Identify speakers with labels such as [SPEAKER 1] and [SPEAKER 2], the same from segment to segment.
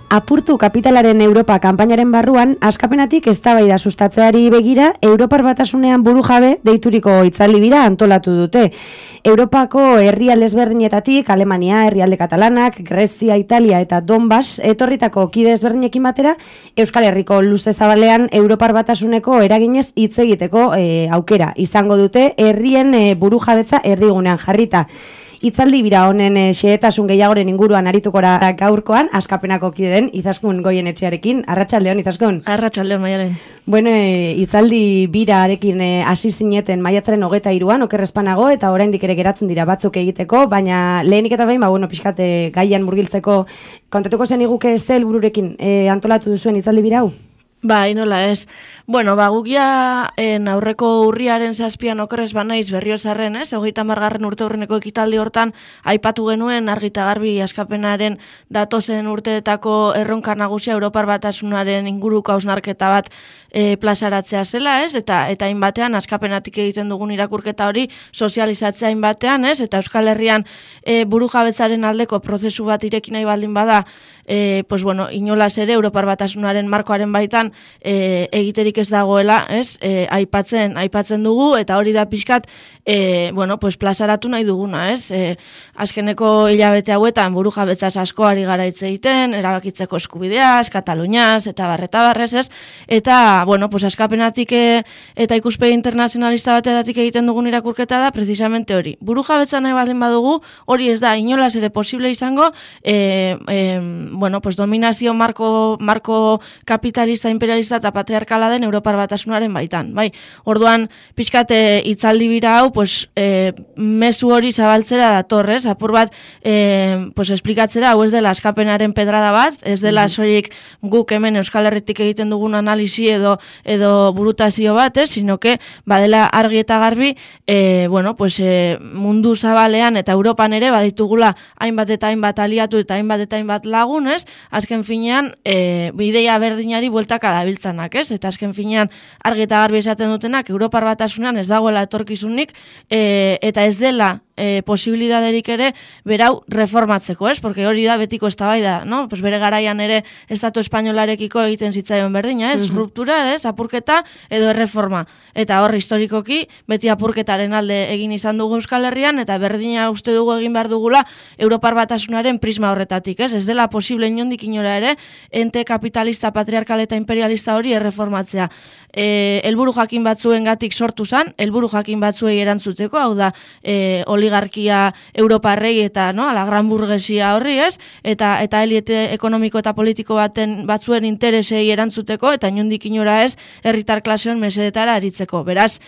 [SPEAKER 1] Apurtu kapitalaren Europa kanpainaren barruan, askapenatik eztabaida sustatzeari begira, Europar Batasunean burujabe deituriko hitzaldi bira antolatu dute. Europako herrialde ezberdinetatik, Alemania, herrialde katalanak, Grezia, Italia eta Donbass, etorritako kide ezberdinekin batera, Euskal Herriko luze zabalean Europar Batasuneko eraginez hitz egiteko aukera izango dute herrien burujabetza erdigunean jarrita. Hitzaldi bira honen xehetasun gehiagoren inguruan arituko gaurkoan, askapenako kideen Izaskun Goienetxearekin. Arratsaldeon, Izaskun.
[SPEAKER 2] Arratsaldeon, Maialen.
[SPEAKER 1] Bueno, hitzaldi birarekin hasi zineten maiatzaren 23an, okerrezpanago, eta oraindik ere geratzen dira batzuk egiteko, baina lehenik eta behin, pixkat gaian murgiltzeko kontatuko zen iguke zel bururekin antolatu duzuen hitzaldi bira hau?
[SPEAKER 2] Bai, nola ez. Bueno, gugia aurreko urriaren 7an okerrez banaiz Berriozarren, 30. urte urreneko ekitaldi hortan aipatu genuen argita garbi askapenaren datozen urteetako erronka nagusia Europar Batasunaren inguruko hausnarketa bat plazaratzea zela, ez? Eta hainbatean askapenatik egiten dugun irakurketa hori sozializatzea hainbatean, ez? Eta Euskal Herrian burujabetzaren aldeko prozesu bat ireki nahi baldin bada, inolaz ere Europar Batasunaren markoaren baitan egiterik ez dagoela, ez? Aipatzen dugu, eta hori da pixkat plazaratu nahi duguna, ez? Azkeneko hilabete hauetan burujabetzaz asko ari gara hitz egiten, erabakitzeko eskubideaz, Kataluniaz, eta barrez, ez? Eta, askapenatik eta ikuspegi internazionalista batetik egiten dugun irakurketa da, precisamente hori. Burujabetza nahi baldin badugu, hori ez da inolaz ere posible izango, dominazio marko kapitalista, imperialista eta patriarkala den Europar Batasunaren baitan. Bai, orduan, pixkat hitzaldi bira hau, mezu hori zabaltzera datorrez, apur bat, esplikatzera, hau ez dela askapenaren pedrada bat, ez dela soilik guk hemen Euskal Herritik egiten dugun analisi edo burutazio bat, sino que badela argi eta garbi, mundu zabalean eta Europan ere baditugula hainbat eta hainbat aliatu eta hainbat lagun, azken finean ideia berdinari bueltaka dabiltzanak, eta azken finean argi eta garbi esaten dutenak Europar Batasunean ez dagoela etorkizunik eta ez dela posibilidaderik ere berau reformatzeko, porque hori da betiko eztabaida, no? Bere garaian ere Estatu espainolarekiko egiten zitzaion berdina, ruptura, apurketa edo erreforma. Eta hor historikoki beti apurketaren alde egin izan dugu Euskal Herrian eta berdina uste dugu egin behar dugula Europar Batasunaren prisma horretatik, ez dela posible inondik inora ere ente kapitalista, patriarkal eta imperialista hori erreformatzea. Helburu jakin batzuengatik sortu zen, helburu jakin batzuei erantzuteko, hau da oligarkia europarrei eta ala gran burgesia horri, ez? Eta eliete ekonomiko eta politiko batzuen interesei erantzuteko eta inondik inora ez herritar klaseon mesedetara aritzeko. Beraz,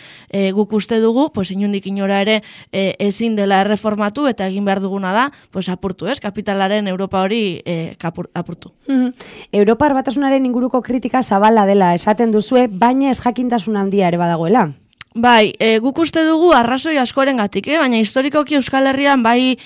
[SPEAKER 2] guk uste dugu, inondik inora ere ezin dela erreformatu eta egin behar duguna da, apurtu, ez? Kapitalaren Europa hori apurtu.
[SPEAKER 1] Europar Batasunaren inguruko kritika zabala dela esaten duzue, baina ez jakintasun handia ere badagoela.
[SPEAKER 2] Bai, guk uste dugu arrazoi askorengatik, baina historikoki Euskal Herrian bai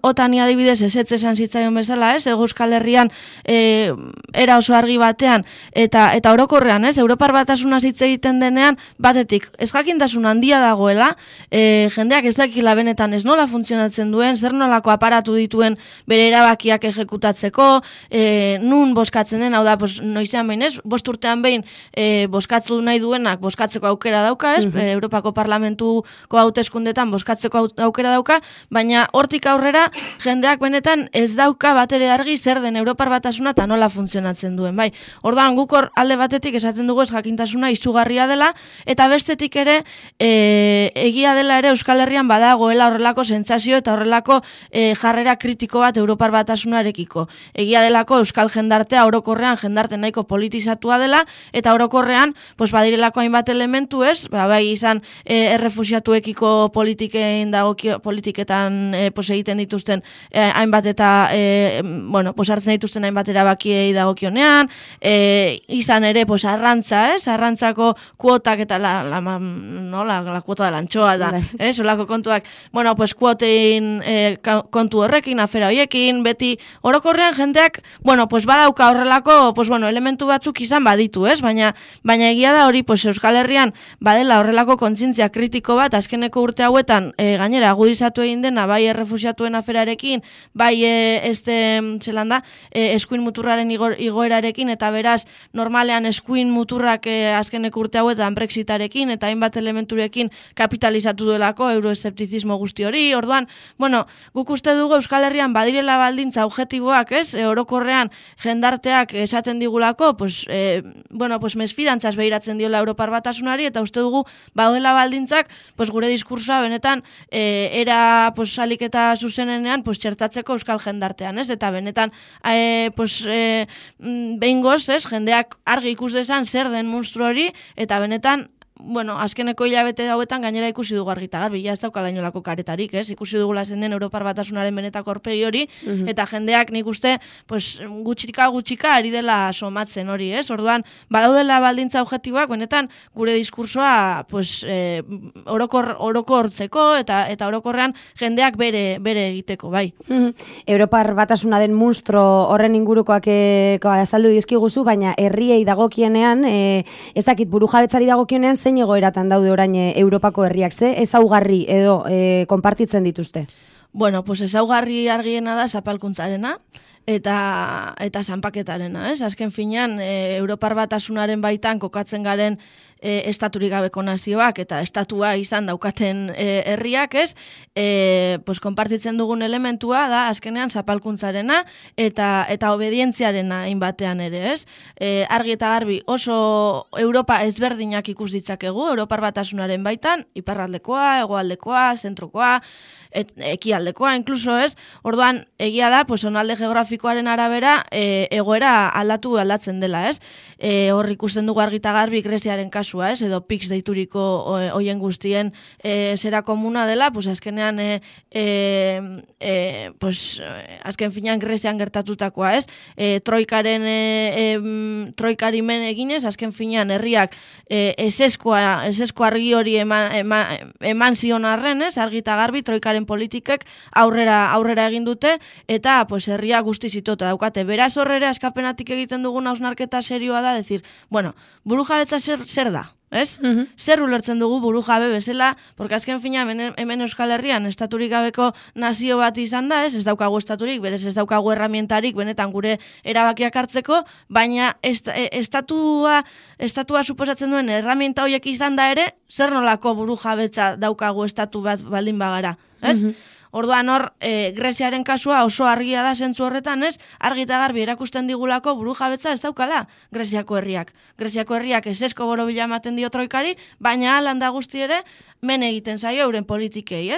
[SPEAKER 2] otani adibidez ezetz esan zitzaion bezala, Euskal Herrian era oso argi batean eta orokorrean, Europar Batasuna hitz egiten denean batetik ez jakintasun handia dagoela, jendeak ez dakila benetan ez nola funtzionatzen duen, zer nolako aparatu dituen bere erabakiak ejekutatzeko, nun boskatzen den, hau da, noizean behin, 5 urtean behin boskatzu nahi duenak boskatzeko aukera dauka, Europako Parlamentuko hauteskundetan bozkatzeko aukera dauka, baina hortik aurrera jendeak benetan ez dauka batere argi zer den Europar Batasuna eta nola funtzionatzen duen. Bai, orduan guk hor alde batetik esaten dugu ez jakintasuna izugarria dela eta bestetik ere egia dela ere Euskal Herrian badagoela horrelako sentsazio eta horrelako jarrera kritiko bat Europar Batasunarekiko. Egia delako Euskal jendartea orokorrean jendarte nahiko politizatua dela eta orokorrean badirelako hainbat elementu, ez? Bai izan errefuxiatuekiko politiketan egiten dituzten hainbat eta hartzen dituzten hainbat erabakiei dagokionean, izan ere arrantza, arrantzako kuotak eta la kuota de la anchoa da, solako kontuak, kuotein kontu horrekin, afera hoiekin, beti orokorrean jendeak, badauka horrelako elementu batzuk izan baditu, baina egia da hori Euskal Herrian badela badela horrelako kontzientzia kritiko bat, azkeneko urte hauetan, gainera, agudizatu egin dena, bai errefuxiatuen aferarekin, bai eskuin muturraren igoerarekin, eta beraz, normalean eskuin muturrak azkeneko urte hauetan Brexitarekin, eta hainbat elementurekin kapitalizatu duelako euroeszeptizismo guzti hori. Orduan, bueno, guk uste dugu Euskal Herrian badirela baldintza objektiboak, orokorrean jendarteak esaten digulako, mesfidantzaz behiratzen diola Europar Batasunari, eta uste dugu baudela baldintzak, gure diskursoa benetan era salik eta zuzenenean txertatzeko euskal jendartean, eta benetan behingoz, jendeak argi ikus dezan zer den munstru hori, eta benetan azkeneko hilabete hauetan gainera ikusi dugu argi eta garbi, ez daukala inolako karetarik, ikusi dugula zen den Europar Batasunaren benetako aurpegi hori, eta jendeak nik uste gutxika ari dela somatzen hori, orduan, badaudela baldintza objektiboak, benetan gure diskursoa orokortzeko eta orokorrean jendeak bere egiteko, bai.
[SPEAKER 1] Europar Batasunaren munstro horren ingurukoak azaldu dizkiguzu, baina herriei dagokienean, ez dakit burujabetzari dagokienean, zein egoeratan daude orain Europako herriak, ezaugarri edo konpartitzen dituzte?
[SPEAKER 2] Bueno, ezaugarri argiena da zapalkuntzarena eta zanpaketarena, Azken finean, Europar Batasunaren baitan kokatzen garen estaturik gabeko nazioak eta estatua izan daukaten herriak, konpartitzen dugun elementua da azkenean zapalkuntzarena eta obedientziarena hainbatean ere, argi eta garbi oso Europa ezberdinak ikus ditzakegu Europar Batasunaren baitan, iparraldekoa, hegoaldekoa, zentrokoa, ekialdekoa, inkluso orduan egia da, zonalde geografikoaren arabera egoera aldatzen dela, hor ikusten dugu argi eta garbi Greziaren kasua, edo PIX deituriko hoien guztien zera komuna dela, azkenean azken finean Grezian gertatutakoa, troikari men eginez, azken finean herriak esesko argi hori eman zion arren, argi eta garbi troikaren politikek aurrera egin dute, eta herria guztiz itota daukate. Beraz horrera eskapenatik egiten dugun hausnarketa serioa da, burujabetza zer da? Zer ulertzen dugu burujabe bezala, porque azken fina hemen Euskal Herrian estaturik gabeko nazio bat izan da, ez daukagu estaturik, berez ez daukagu herramientarik benetan gure erabakiak hartzeko, baina estatua suposatzen duen herramienta horiek izan da ere, zer nolako burujabetza daukagu estatu bat baldin bagara, Orduan hor, Greziaren kasua oso argia da zentzu horretan, argi eta garbi erakusten digulako burujabetza ez daukala Greziako herriak. Greziako herriak esesko borobila ematen dio troikari, baina landa guzti ere men egiten zaio euren politikei,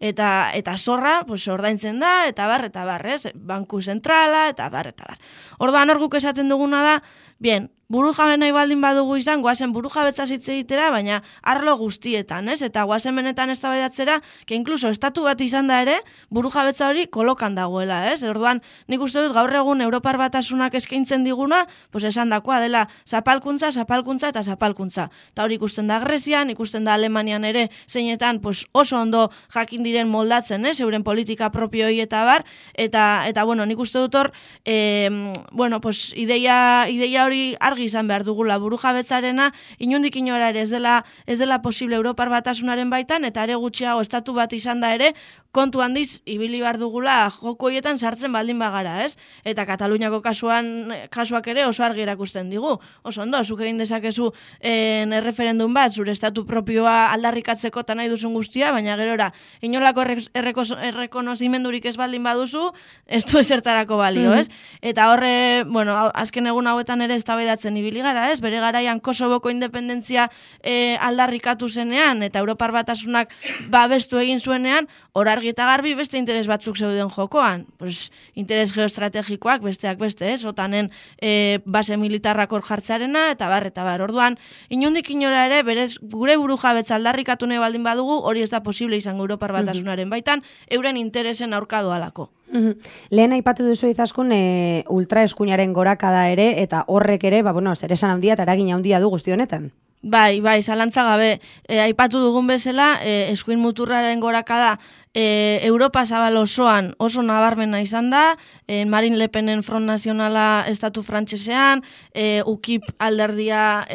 [SPEAKER 2] Eta zorra, ordaintzen da, eta bar, banku zentrala, eta bar. Orduan hor guk esaten duguna da, burujabe nahi baldin badugu izan, goazen burujabetza hitz egitera, baina arlo guztietan, eta goazen benetan eztabaidatzera, que incluso estatu bat izan da ere, burujabetza hori kolokan dagoela, Orduan, nik uste dut gaur egun Europar Batasunak eskaintzen diguna, esan dakoa dela zapalkuntza eta zapalkuntza. Eta hori ikusten da Grezian, ikusten da Alemanian ere, zeinetan oso ondo jakin diren moldatzen, euren politika propioi eta bar, eta nik uste dut hor, ideia hori argi izan behar dugula burujabetzarena, inondik inora ere ez dela posible Europar Batasunaren baitan, eta are gutxiago estatu bat izan da ere, kontu handiz ibili behar dugula joko horietan sartzen baldin bagara, Eta Kataluniako kasuak ere oso argi erakusten digu. Oso ondo, zuk egin dezakezu erreferendum bat, zure estatu propioa aldarrikatzeko eta nahi duzun guztia, baina gerora, inolako errekonozimendurik ez baldin baduzu, ez du ezertarako balio, Eta horre, azken egun hauetan ere eztabaidatzen ibili gara, bere garaian Kosovoko independentzia aldarrikatu zenean, eta Europar Batasunak babestu egin zuenean, hor argi eta garbi beste interes batzuk zeuden jokoan. Interes geoestrategikoak besteak beste, otanen base militarrak hor jartzarena, eta bar. Orduan, inondik inora ere, berez gure burujabetza aldarrikatu nahi baldin badugu, hori ez da posible izango Europar Batasunaren baitan, euren interesen aurka doalako.
[SPEAKER 1] Lehen aipatu duzu izaskun ultraeskuinaren gorakada ere, eta horrek ere, zer esan handia eta eragin handia du guzti honetan.
[SPEAKER 2] Bai, zalantza gabe. Aipatu dugun bezala, eskuin muturraren gorakada Europa zabal osoan oso nabarmena izan da, Marine Le Penen Front Nazionala estatu frantsesean, UKIP alderdia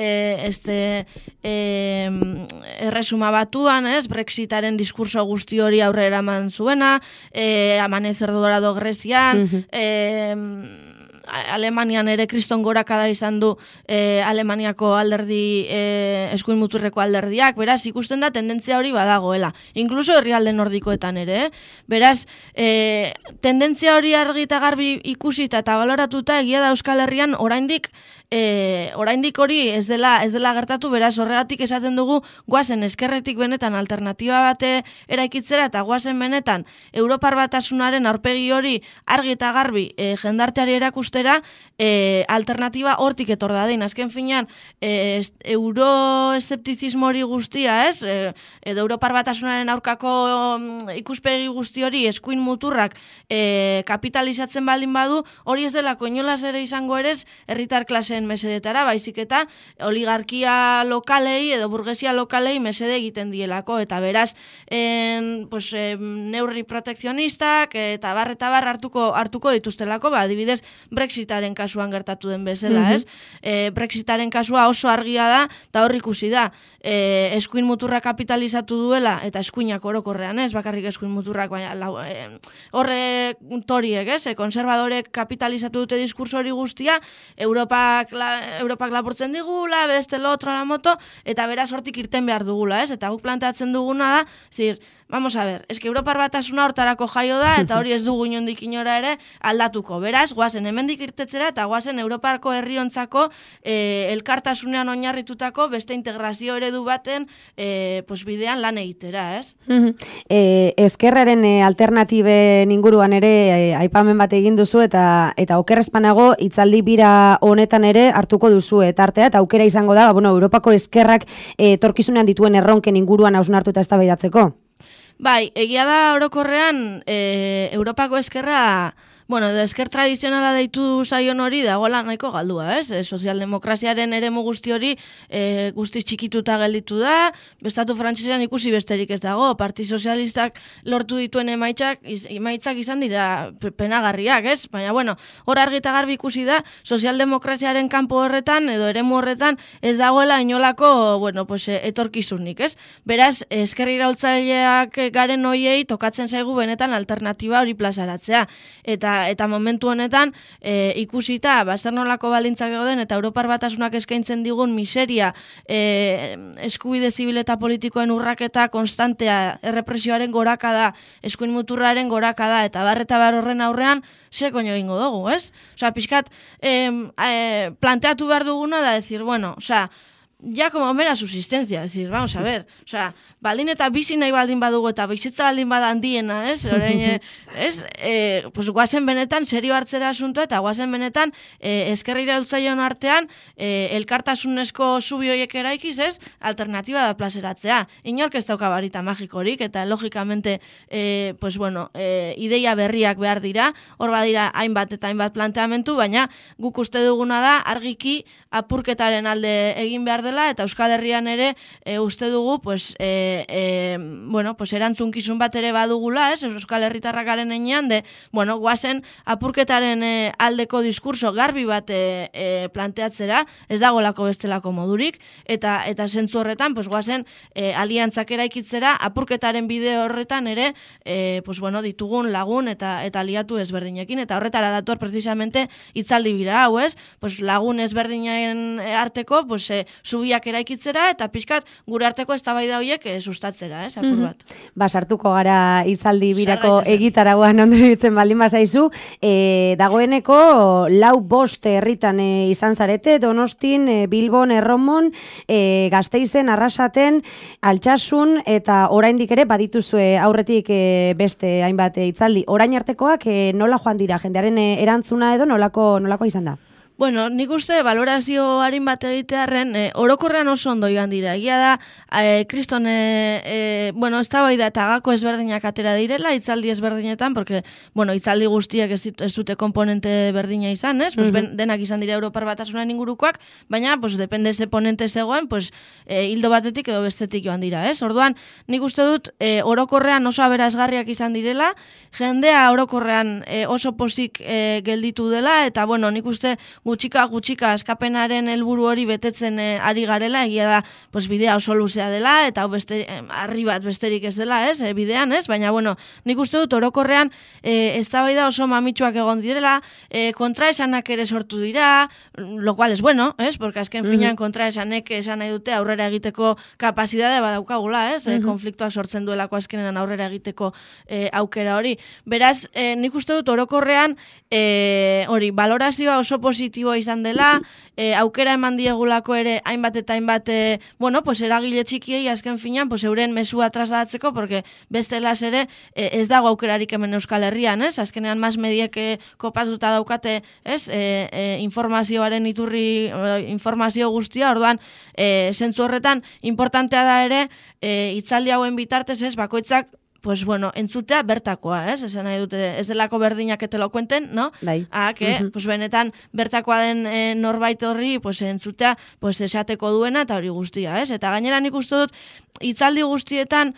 [SPEAKER 2] erresuma batuan, Brexitaren diskurso guzti hori aurrera eman zuena, Amanecer Dorado Grezian, Alemanian ere kriston gorakada izan du Alemaniako alderdi eskuin muturreko alderdiak, beraz ikusten da tendentzia hori badagoela, inkluso herrialde nordikoetan ere, beraz tendentzia hori argi eta garbi ikusita eta baloratuta egia da Euskal Herrian oraindik hori ez dela gertatu, beraz horregatik esaten dugu goazen ezkerretik benetan alternatiba bate eraikitzera eta goazen benetan Europar Batasunaren aurpegi hori argi eta garbi jendarteari erakustera alternatiba hortik etor dadin. Azken finean euroeszeptizismo hori guztia, edo Europar Batasunaren aurkako ikuspegi guzti hori eskuin muturrak kapitalizatzen baldin badu, hori ez delako inolaz ere izango ere herritar klase mesedetara, baizik eta oligarkia lokalei edo burgesia lokalei mesede egiten dielako, eta beraz neurri protekzionistak eta bar hartuko dituztelako, adibidez Brexitaren kasuan gertatu den bezala, Brexitaren kasua oso argia da, eta hor ikusi da, eskuin muturra kapitalizatu duela, eta eskuinak orokorrean bakarrik eskuin muturrak, baina horre toriek, konservadorek kapitalizatu dute diskurso hori guztia, Europak lapurtzen digula, beste lo otro la moto, eta beraz hortik irten behar dugula, eta guk planteatzen duguna da, vamos a ver, eske Europar Batasuna hortarako jaio da, eta hori ez dugu inondik inora ere aldatuko. Beraz, goazen hemendik irtetzera, eta goazen Europarko herriontzako elkartasunean oinarritutako beste integrazio eredu baten bidean lan egitera, ez?
[SPEAKER 1] Ezkerraren alternatiben inguruan ere aipamen bat egin duzu, eta okerrezpanago hitzaldi bira honetan ere hartuko duzu tartea, eta aukera izango da, Europako ezkerrak etorkizunean dituen erronken inguruan hausnartu eta eztabaidatzeko.
[SPEAKER 2] Bai, egia da orokorrean Europako ezkerra, esker tradizionala deitu zaion hori dagoela nahiko galdua, sozialdemokraziaren eremu guzti hori guzti txikituta gelditu da, bestatu frantsesean ikusi besterik ez dago, Parti Sozialistak lortu dituen emaitzak izan dira penagarriak, baina hor argi eta garbi ikusi da, sozialdemokraziaren kanpo horretan edo eremu horretan ez dagoela inolako etorkizunik, beraz, ezker iraultzaileak garen hoiei tokatzen zaigu benetan alternatiba hori plazaratzea, eta momentu honetan ikusita zer nolako baldintzak dauden eta Europar Batasunak eskaintzen digun miseria, eskubide zibil eta politikoen urraketa konstantea, errepresioaren gorakada, eskuin muturraren gorakada eta bar horren aurrean ze koño egingo dugu, pixkat planteatu behar duguna da decir, ya como mera subsistencia, decir, vamos a ver, baldin eta bizi nahi baldin badugu eta bizitza baldin bada handiena, orain, guazen benetan serio hartzera asunto eta guazen benetan ezker iraultzaileon artean elkartasunezko zubi horiek eraikiz, alternatiba da plazeratzea. Inork ez dauka barita magikorik eta logikamente ideia berriak behar dira, hor badira hainbat eta hainbat planteamentu, baina guk uste duguna da argiki apurketaren alde egin behar dela eta Euskal Herrian ere uste dugu erantzunkizun bat ere badugula, Euskal Herritarrak garen enean, guazen apurketaren aldeko diskurso garbi bat planteatzera, ez dagolako bestelako modurik, eta zentzu horretan, guazen aliantzak eraikitzera, apurketaren bide horretan ere, ditugun lagun eta aliatu ezberdinekin, eta horretara dator precisamente hitzaldi bira hau, lagun ezberdinen arteko, zubiak eraikitzera, eta pixkat gure arteko eztabaida horiek sustatzera, apur bat.
[SPEAKER 1] Sartuko gara hitzaldi birako egitaragoan ondo ditzen baldin bazaizu, dagoeneko 4-5 herritan izan zarete, Donostin, Bilbon, Erromon, Gasteizen, Arrasaten, Altsasun, eta oraindik ere badituzue aurretik beste hainbat hitzaldi. Orain artekoak nola joan dira, jendearen erantzuna edo nolako izan da?
[SPEAKER 2] Bueno, nik uste valorazio harin bat egitearen orokorrean oso ondo igan dira. Egia da, kriston, bueno, ez da bai da eta gako ezberdinak atera direla, hitzaldi ezberdinetan, porque, bueno, hitzaldi guztiak ez dute komponente berdina izan, ez? Pues, denak izan dira Europar Batasunen ingurukoak, baina, pues, depende ze ponente zegoen, pues, hildo batetik edo bestetik joan dira, ez? Orduan, nik uste dut, orokorrean oso aberazgarriak izan direla, jendea orokorrean oso pozik gelditu dela, eta, bueno, nik uste gutxika askapenaren helburu hori betetzen ari garela, egia da, pues, bidea oso luzea dela, eta harri bat besterik ez dela, ez, bidean, ez, baina, bueno, nik uste dut orokorrean eztabaida oso mamitsuak egon direla, kontraesanak ere sortu dira, lo cual es bueno, ez, porque azken finean kontraesanek esan nahi dute aurrera egiteko kapazidade badaukagula, ez, konfliktoak sortzen duelako azkenean aurrera egiteko aukera hori. Beraz, nik uste dut orokorrean hori, valorazioa oso positiboa izan dela, aukera eman diegulako ere hainbat eta hainbat, bueno, pues eragile txikiei azken finean, pues euren mesua trasladatzeko, porque bestelaz ere ez dago aukerarik hemen Euskal Herrian, ez? Azkenean mas mediek kopatuta daukate, ez? Informazioaren iturri, informazio guztia, orduan, zentzu horretan, importantea da ere, hitzaldi hauen bitartez, ez? Bakoitzak, pues bueno, entzutea bertakoa, ez? Esan nahi dute, ez delako berdinak etelo kuenten, no?
[SPEAKER 1] Bai.
[SPEAKER 2] Que, pues benetan, bertakoa den norbait horri, pues entzutea, pues esateko duena eta hori guztia, ez? Eta gainera nik uste dut, hitzaldi guztietan,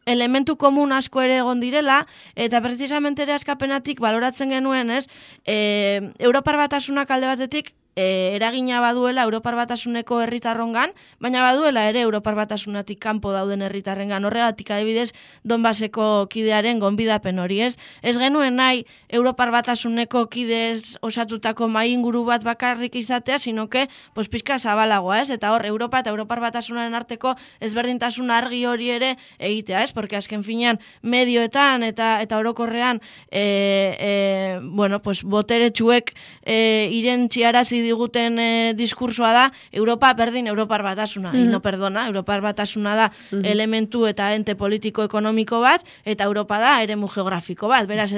[SPEAKER 2] elementu komun asko ere egon direla, eta precisamente ere askapenatik baloratzen genuen, ez? Europar Batasunak alde batetik, eragina baduela Europar Batasuneko herritarrongan, baina baduela ere Europar Batasunatik kanpo dauden herritarrengan. Horregatik adibidez Donbaseko kidearen gonbidapen hori, ez? Ez genuen nahi Europar Batasuneko kidez osatutako mahai inguru bat bakarrik izatea, sino que pues pixka zabalagoa, ez? Eta hor Europa eta Europar Batasunaren arteko ezberdintasun argi hori ere egitea, ez? Porque azken finean medioetan eta orokorrean bueno, pues boteretsuek irentziarazi diguten diskursoa da Europa berdin Europar Batasuna, y no perdona, Europar Batasuna da elementu eta ente politiko-ekonomiko bat, eta Europa da eremu geografiko bat, beraz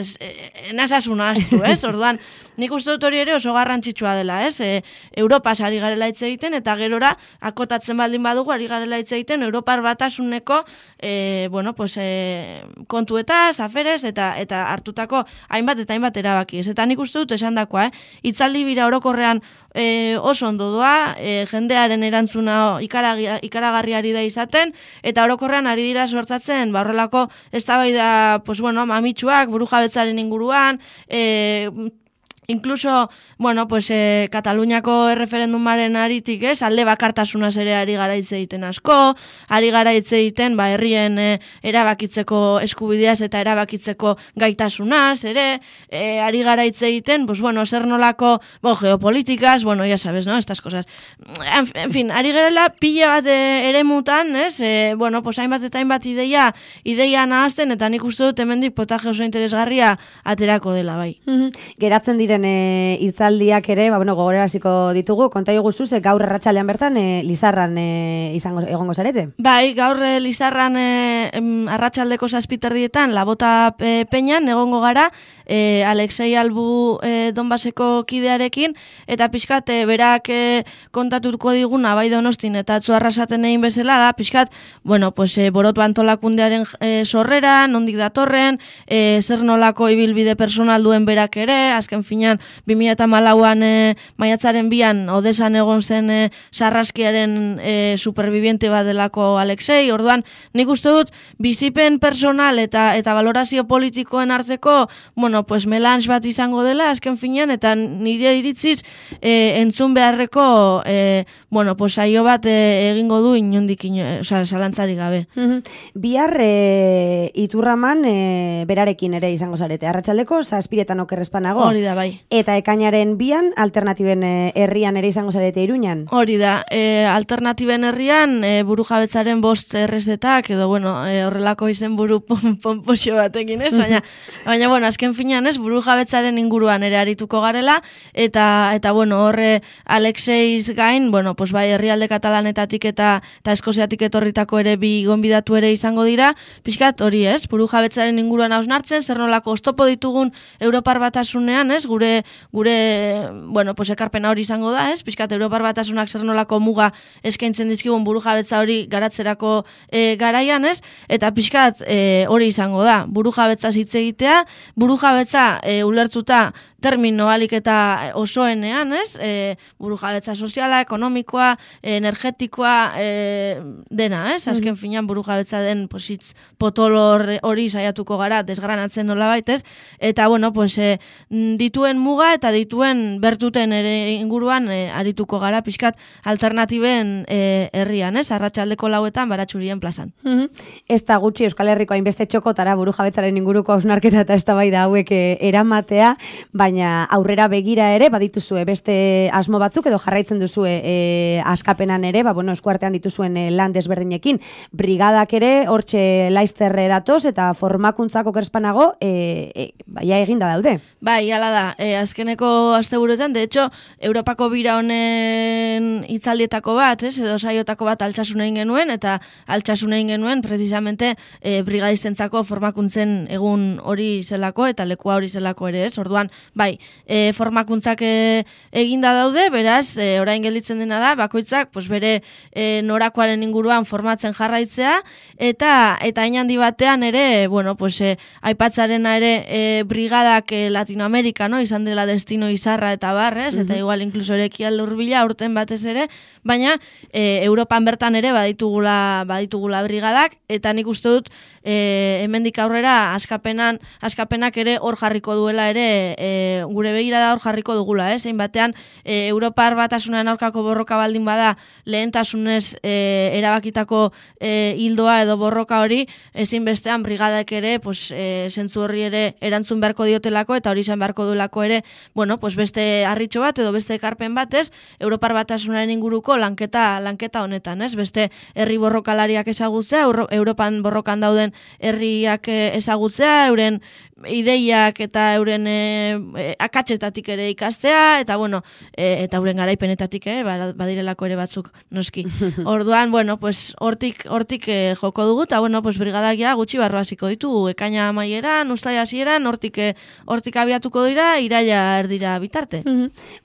[SPEAKER 2] enazasuna astu, ez? Orduan, nik uste dut hori ere oso garrantzitsua dela, ez? Europa ari garela hitz egiten, eta gerora akotatzen baldin badugu ari garela hitz egiten Europar Batasuneko bueno, pues, kontuetaz, aferez, eta hartutako hainbat eta hainbat erabaki, ez? Eta nik uste dut esan dakoa, hitzaldi bira orokorrean oso ondo doa, jendearen erantzuna ikaragarriari da izaten, eta orokorrean ari dira sortatzen, horrelako eztabaida, pues bueno, mamitsuak, burujabetzaren inguruan, incluso, bueno, pues Kataluniako erreferendumaren aritik, ez, alde bakartasunaz ere ari gara hitz egiten asko, ari gara hitz egiten, herrien erabakitzeko eskubideaz eta erabakitzeko gaitasunaz, ere, ari gara hitz egiten, pues bueno, zer nolako, geopolíticas, bueno, ya sabes, ¿no? Estas cosas. En fin, ari garela pila bat eremutan, ez, bueno, pues hainbat eta hainbat ideia nahazten, eta nik uste dut hemendik potaje oso interesgarria aterako dela, bai.
[SPEAKER 1] Geratzen diren hitzaldiak ere, bueno, gogoraraziko ditugu, konta iguzu, gaur arratsalean bertan Lizarran egongo zarete?
[SPEAKER 2] Bai, gaur Lizarran arratsaldeko 7:00 Labota Peñan egongo gara, Alexei Albu Donbaseko kidearekin, eta pixkat berak kontatuko diguna bai Donostin eta atzo arrasaten egin bezala da, pixkat, bueno, pues Borotu antolakundearen sorrera, nondik datorren, zer nolako ibilbide personal duen berak ere, azken finean 2014an maiatzaren 2an Odesan egon zen sarraskiaren superviviente bat delako Alexei, orduan nik uste dut bizipen personal eta valorazio politikoen arteko, bueno, pues melange bat izango dela azken finean, eta nire iritziz entzun beharreko bueno, pues saio bat egingo du inondik, zalantzari gabe.
[SPEAKER 1] Bihar Iturraman berarekin ere izango zarete, arratsaldeko 7:00 okerrezpanago.
[SPEAKER 2] Hori da, bai.
[SPEAKER 1] Eta ekainaren 2an alternatiben herrian ere izango zarete Iruñan.
[SPEAKER 2] Hori da, alternatiben herrian burujabetzaren 5 errezetak, edo bueno, horrelako izen buru pompoxo batekin, ez? Baina bueno, azken finean, ez, burujabetzaren inguruan ere arituko garela, eta bueno, horre Alexeiz gain, bueno, pues bai, herrialde katalanetatik eta eskoziatik etorritako ere bi gonbidatu ere izango dira, pixkat hori, ez, burujabetzaren inguruan hausnartzen, zer nolako oztopo ditugun Europar Batasunean, ez, gure gure bueno, pues ekarpena hori izango da, ez? Pixkat Europar Batasunak zer nolako muga eskaintzen dizkigun burujabetza hori garatzerako garaian, ez? Eta pixkat hori izango da, burujabetza hitz egitea, burujabetza ulertuta termino alik eta osoenean, ez? Burujabetza soziala, ekonomikoa, energetikoa, dena, ez? Azken finean burujabetza den positz potolor hori saiatuko gara desgranatzen nolabait, ez? Eta, bueno, pues, dituen muga eta dituen bertuten ere inguruan arituko gara pixkat alternatiben herrian, ez? Arratsaldeko 4etan Baratxurien plazan.
[SPEAKER 1] Ez da gutxi Euskal Herriko hainbeste txokotara burujabetzaren inguruko hausnarketa eta eztabaida hauek eramatea, baina aurrera begira ere badituzue beste asmo batzuk edo jarraitzen duzue askapenan ere, bueno, eskuartean dituzuen lan desberdinekin. Brigadak ere hortxe laizterre datoz eta formakuntzako kerspanago baia eginda daude.
[SPEAKER 2] Bai, hala da. Azkeneko asteburuetan, de hecho, Europako bira honen hitzaldietako bat, edo saiotako bat Altsasun egin genuen, eta Altsasun egin genuen precisamente brigadistentzako formakuntzen egun hori zelako eta lekua hori zelako ere, ez? Orduan, bai, formakuntzak eginda daude, beraz, orain gelditzen dena da, bakoitzak pues bere norakoaren inguruan formatzen jarraitzea, eta hain handi batean ere, bueno, pues aipatzarena ere brigadak Latinoamerika, no? Izan dela destino izarra eta barrez, eta igual inkluso ere ekialde hurbila urten batez ere, baina Europan bertan ere baditugula brigadak, eta nik uste dut hemendik aurrera askapenak ere hor jarriko duela ere, gure begirada hor jarriko dugula, zein batean Europar Batasunean aurkako borroka baldin bada lehentasunez erabakitako hildoa edo borroka hori, ezin bestean brigadak ere, pues, zentzu horri ere erantzun beharko diotelako, eta hori izan beharko duelako ere, bueno, pues beste harritxo bat edo beste ekarpen batez, Europar Batasunaren inguruko lanketa honetan, ez? Beste herri borrokalariak ezagutzea, Europan borrokan dauden herriak ezagutzea, euren ideiak eta euren akatsetatik ere ikastea, eta bueno, eta euren garaipenetatik, badirelako ere batzuk noski. Orduan, bueno, pues hortik joko dugu, eta bueno, pues brigadak ja gutxi barru hasiko ditugu, ekaina amaieran, uztaila hasieran, hortik abiatuko dira, iraila erdira bitarte.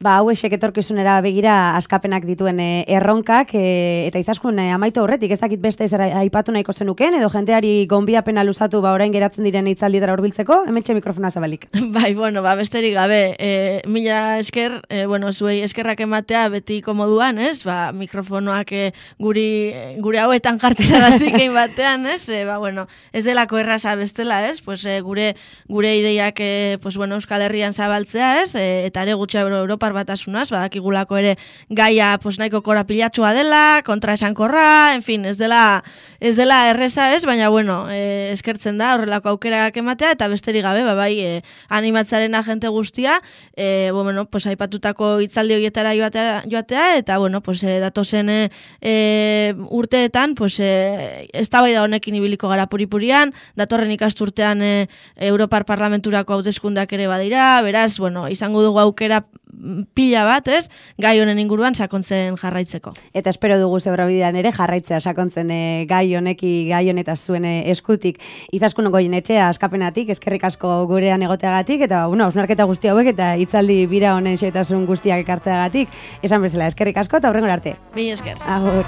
[SPEAKER 1] Hau esek etorkizunera begira askapenak dituen erronkak, eta izaskun amaitu horretik, ez dakit beste zer aipatu nahiko zenuken, edo jenteari gonbidapena luzatu orain geratzen diren hitzaldietara hurbiltzeko, hementxe mikrofona zabalik.
[SPEAKER 2] Bai, bueno, besterik gabe, mila esker, zuei eskerrak ematea beti komoduan, ez? Mikrofonoak gure hauetan jartzeagatik egin batean, ez? Ez delako erraza bestela, ez? Gure ideiak, Euskal Herrian zabaltzea, ez? Eta ere gutxe Europar Batasunaz, badakigulako ere gaia nahiko korapilatxua dela, kontraesankorra, en fin, ez dela erreza, ez? Baina, eskertzen da horrelako aukerak ematea, eta besterik gabe, animatzaren agente guztia, aipatutako hitzaldi horietara joatea, eta, datozen urteetan, eztabaida honekin ibiliko gara puripurian, datorren ikasturtean Europar Parlamenturako hauteskundeak ere badira, beraz, izango dugu aukera pila bat, ez, gai honen inguruan sakontzen jarraitzeko.
[SPEAKER 1] Eta espero dugu Zebrabidean ere jarraitzea sakontzen gai honetaz zuen eskutik. Izaskun Goienetxea askapenatik, eskerrik asko gurean egoteagatik, eta hausnarketa guzti hauek eta hitzaldi bira honen xehetasun guztiak ekartzeagatik, esan bezala eskerrik asko eta hurrengora arte.
[SPEAKER 2] Mila esker.
[SPEAKER 1] Agur.